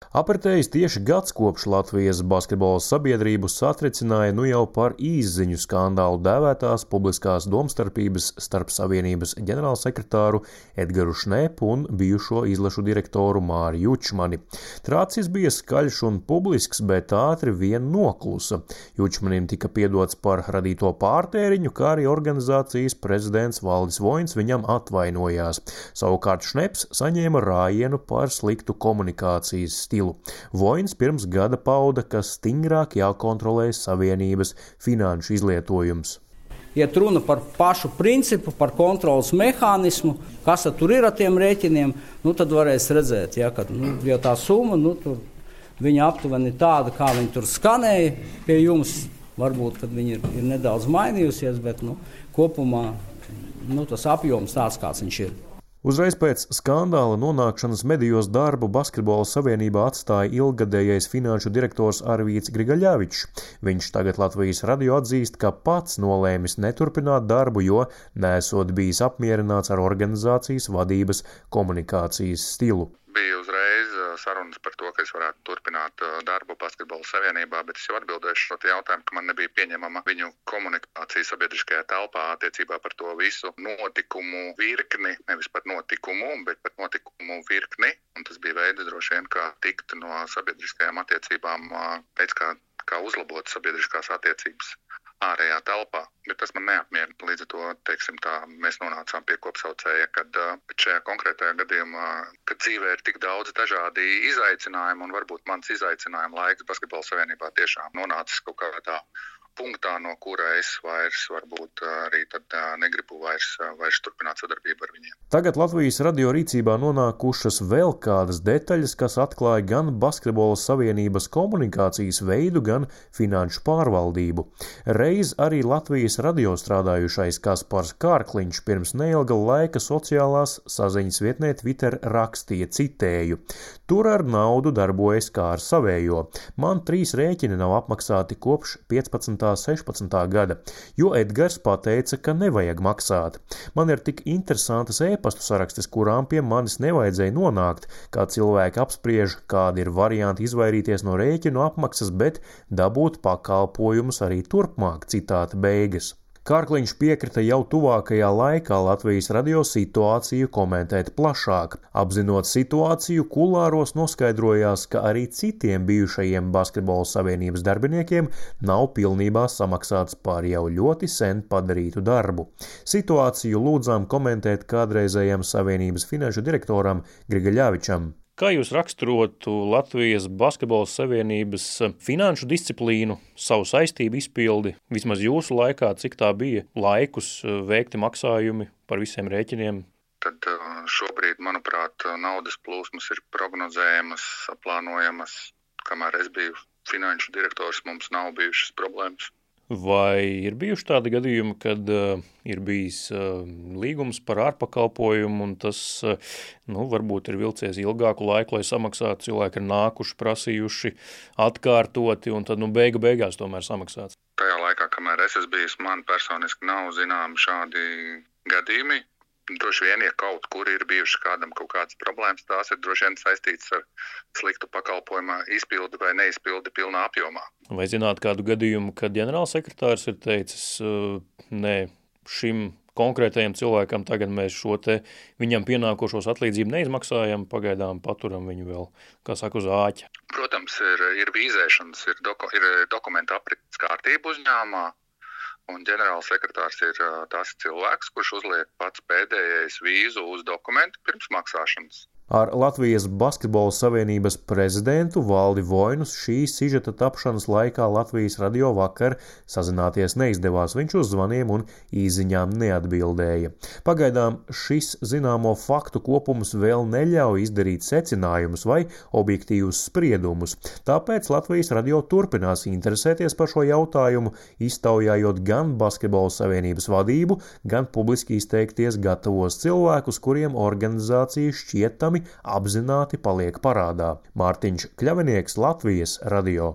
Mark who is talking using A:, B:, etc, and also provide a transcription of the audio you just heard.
A: Apritējis tieši gads kopš Latvijas basketbola sabiedrību satricināja jau par īsziņu skandālu dēvētās publiskās domstarpības starp Savienības ģenerālsekretāru Edgaru Šnepu un bijušo izlašu direktoru Māri Jučmani. Trācis bija skaļš un publisks, bet ātri vien noklusa. Jučmanim tika piedots par radīto pārtēriņu, kā arī organizācijas prezidents Valdis Voins viņam atvainojās. Savukārt Šneps saņēma rājienu par sliktu komunikācijas stilu. Voins pirms gada pauda, ka stingrāk jākontrolē Savienības finanšu izlietojums.
B: Iet runa par pašu principu, par kontrolas mehānismu, kas tur ir ar tiem rēķiniem, tad varēs redzēt, ka ja tā summa, tur viņa aptuveni tāda, kā viņa tur skanēja pie jums. Varbūt, kad viņa ir nedaudz mainījusies, bet kopumā tas apjoms tāds, kāds viņš ir.
A: Uzreiz pēc skandāla nonākšanas medijos darbu Basketbola savienībā atstāja ilggadējais finanšu direktors Arvīts Grigaļevičs. Viņš tagad Latvijas radio atzīst, ka pats nolēmis neturpināt darbu, jo nesot bijis apmierināts ar organizācijas vadības komunikācijas stilu.
C: Bija uzreiz sarunas par to, ka es varētu turpināt darbu Basketbola savienībā, bet es jau atbildēšu šo jautājumu, ka man nebija pieņemama viņu komunikācija sabiedriskajā telpā attiecībā par to visu notikumu virkni, nevis par notikumu, bet par notikumu virkni. Un tas bija veids droši vien, kā tikt no sabiedriskajām attiecībām, veids kā uzlabot sabiedriskās attiecības ārējā telpā, bet tas man neapmierina. Līdz ar to, mēs nonācām pie kopsaucēja, kad šajā konkrētajā gadījumā, kad dzīvē ir tik daudz dažādi izaicinājumi, un varbūt mans izaicinājuma laiks Basketbola savienībā tiešām nonācis kaut kādā punktā, no kura es vairs varbūt arī tad negribu vairs turpināt sadarbību ar viņiem.
A: Tagad Latvijas radio rīcībā nonākušas vēl kādas detaļas, kas atklāja gan Basketbola savienības komunikācijas veidu, gan finanšu pārvaldību. Reiz arī Latvijas radio strādājušais Kaspars Kārkliņš pirms neilga laika sociālās saziņas vietnē Twitter rakstīja, citēju: "Tur ar naudu darbojas kā ar savējo. Man 3 rēķini nav apmaksāti kopš 15. 16. gada, jo Edgars pateica, ka nevajag maksāt. Man ir tik interesantas e-pastu sarakstes, kurām pie manis nevajadzēja nonākt, kā cilvēki apspriež, kādi ir varianti izvairīties no rēķinu apmaksas, bet dabūt pakalpojumus arī turpmāk." Citāta beigas. Kārkliņš piekrita jau tuvākajā laikā Latvijas radio situāciju komentēt plašāk. Apzinot situāciju, kulāros noskaidrojās, ka arī citiem bijušajiem Basketbola savienības darbiniekiem nav pilnībā samaksāts par jau ļoti sen padarītu darbu. Situāciju lūdzām komentēt kādreizējam savienības finanšu direktoram Grigaļevičam.
D: Kā jūs raksturotu Latvijas Basketbola savienības finanšu disciplīnu, savu saistību izpildi, vismaz jūsu laikā, cik tā bija laikus veikti maksājumi par visiem rēķiniem?
C: Tad šobrīd, manuprāt, naudas plūsmas ir prognozējamas, saplānojamas. Kamēr es biju finanšu direktors, mums nav bijušas problēmas.
D: Vai ir bijuši tādi gadījumi, kad ir bijis līgums par ārpakalpojumu un tas varbūt ir vilcies ilgāku laiku, lai samaksātu, cilvēki ir nākuši, prasījuši, atkārtoti un tad beigās tomēr samaksāts?
C: Tajā laikā, kamēr es esmu bijis, man personiski nav zināmi šādi gadījumi. Droši vien, ja kaut kur ir bijušas kādam kaut kādas problēmas, tās ir droši vien saistītas ar sliktu pakalpojuma izpildi vai neizpildi pilnā apjomā.
D: Vai zināt kādu gadījumu, kad ģenerālsekretārs ir teicis, nē, šim konkrētajam cilvēkam tagad mēs šo viņam pienākošos atlīdzību neizmaksājam, pagaidām paturam viņu vēl, kā saka, uz āķa?
C: Protams, ir vīzēšanas, ir dokumenta aprites kārtība uzņēmumā. Un ģenerālsekretārs ir tas cilvēks, kurš uzliek pats pēdējais vīzu uz dokumentu pirms maksāšanas.
A: Ar Latvijas Basketbola savienības prezidentu Valdi Voinu šī sižeta tapšanas laikā Latvijas radio vakar sazināties neizdevās. Viņš uz zvaniem un īziņām neatbildēja. Pagaidām šis zināmo faktu kopums vēl neļauj izdarīt secinājumus vai objektīvus spriedumus. Tāpēc Latvijas radio turpinās interesēties par šo jautājumu, iztaujājot gan Basketbola savienības vadību, gan publiski izteikties gatavos cilvēkus, kuriem organizācija šķietami apzināti paliek parādā. Mārtiņš Kļavinieks, Latvijas radio.